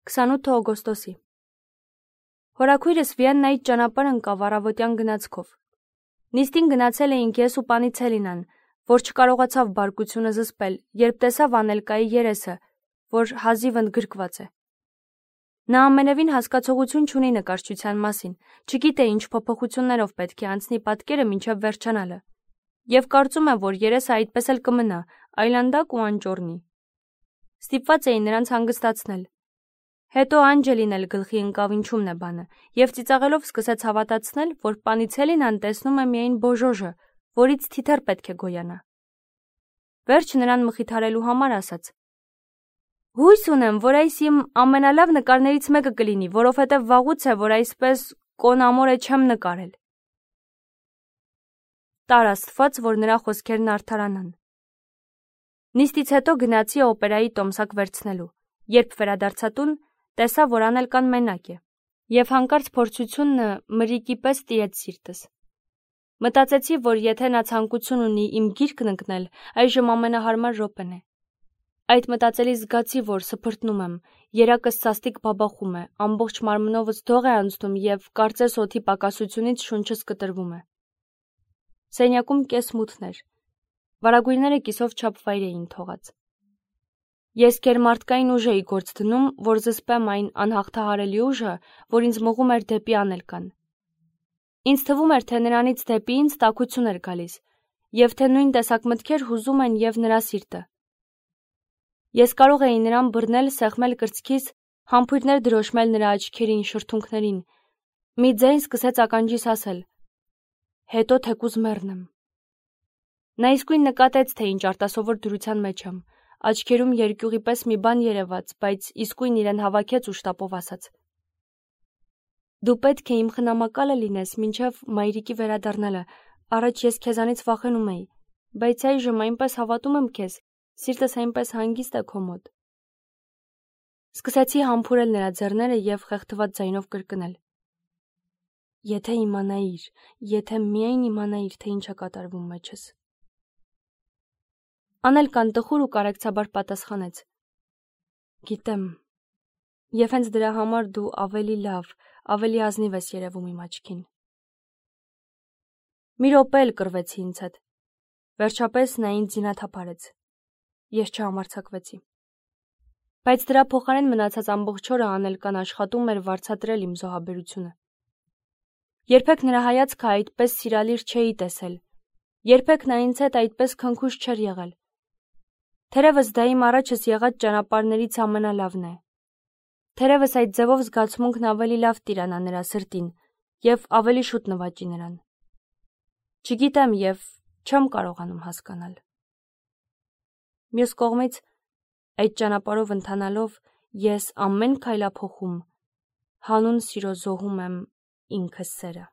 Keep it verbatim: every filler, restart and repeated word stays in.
քսանութ օգոստոսի Հորաքույրս Վիեննայից ճանապարհ ընկավ առավոտյան գնացքով։ Նիստին գնացել էինք ես ու Պանիցելինան, որ չկարողացավ բարկությունը զսպել, երբ տեսավ Անելկայի երեսը, որ հազիվ ընդգրկված է։ Նա ամենևին հասկացողություն չունի նկարչության մասին, չգիտե ինչ փոփոխություններով պետք է անցնի պատկերը մինչև վերջանալը, եւ կարծում է, որ երեսը այդպես էլ կմնա, այլանդակ ու անճոռնի։ Ստիպված էի նրանց հանգստացնել։ Հետո Անջելին էլ գլխի ընկավ ինչումն է բանը, եւ ծիծաղելով սկսեց հավատացնել, որ Պանիցելինան տեսնում է միայն Բոժոժը, որից թիթեռ պետք է գոյանա։ Վերջ նրան մխիթարելու համար ասաց. Հույս ունեմ, որ այս իմ ամենալավ նկարներից մեկը կլինի, որովհետև վաղուց է, որ այսպես կոնամորե չեմ նկարել։ Տար Աստված, որ նրա խոսքերն արդարանան։ Նիստից հետո գնացի օպերայի տոմսակ վերցնելու, երբ վերադարձա տուն, տեսա, որ Անելկան մենակ է, եւ հանկարծ փորձությունը մրրիկի պես տիրեց սիրտս։ Մտածեցի, որ եթե նա ցանկություն ունի իմ գիրկն ընկնել, այժմ ամենահարմար րոպեն է։ Այդ մտածելիս զգացի, որ սփռտնում եմ, երակս սաստիկ բաբախում է, ամբողջ մարմնովս դող է անցնում եւ կարծես օդի պակասությունից շունչս կտրվում է։ Սենյակում կես մութներ, վարագույրները կիսով չափ վայր էին թողած։ Ես գերմարտկային ուժ էի գործ դնում, որ զսպեմ այն անհաղթահարելի ուժը, որ ինձ մղում էր դեպի Անելկան։ Ինձ թվում էր, թե նրանից դեպի ինձ տաքություն էր գալիս, եւ թե նույն տեսակ մտքեր հուզում են եւ նրա սիրտը։ Ես կարող էի նրան բռնել, սեղմել կրծքիս, համբույրներ դրոշմել նրա աչքերին, շրթունքներին։ Մի ձայն սկսեց ականջիս ասել. Հետո թեկուզ մեռնեմ։ Նա իսկույն նկատեց, թե ինչ արտասովոր դրության մեջ եմ, աչքերում երկյուղի պես մի բան երևաց, բայց իսկույն իրեն հավաքեց ու շտապով ասաց. Դու պետք է իմ խնամակալը լինես մինչև մայրիկի վերադառնալը, առաջ ես քեզանից վախենում էի, բայց այժմ այնպես հավատում եմ քեզ, սիրտս այնպես հանգիստ է քո մոտ։ Սկսեցի համբուրել նրա ձեռները եւ խեղդված ձայնով կրկնել. Եթե իմանայիր, եթե միայն իմանայիր, թե ինչ է կատարվում մեջս։ Անելկան տխուր ու կարեկցաբար պատասխանեց. Գիտեմ, եւ հենց դրա համար դու ավելի լավ, ավելի ազնիվ ես երևում իմ աչքին։ Մի րոպե էլ կռվեցի ինձ հետ։ Վերջապես նա ինձ զինաթափարեց։ Ես չհամարձակվեցի։ Բայց դրա փոխարեն մնացած ամբողջ օրը Անելկան աշխատում էր վարձատրել իմ զոհաբերությունը։ Երբեք նրա հայացքը այդպես սիրալիր չէի տեսել։ Երբեք նա ինձ հետ այդպես քնքուշ չէր եղել։ Թերևս դա իմ առաջս եղած ճանապարհներից ամենալավն է։ Թերևս այդ ձևով զգացմունքն ավելի լավ տիրանա նրա սրտին եւ ավելի շուտ նվաճի նրան։ Չգիտեմ եւ չեմ կարողանում հասկանալ։ Մյուս կողմից, այդ ճանապարհով ընթանալով ես ամեն քայլափոխում հանուն սիրո զոհում եմ ինքս սերը։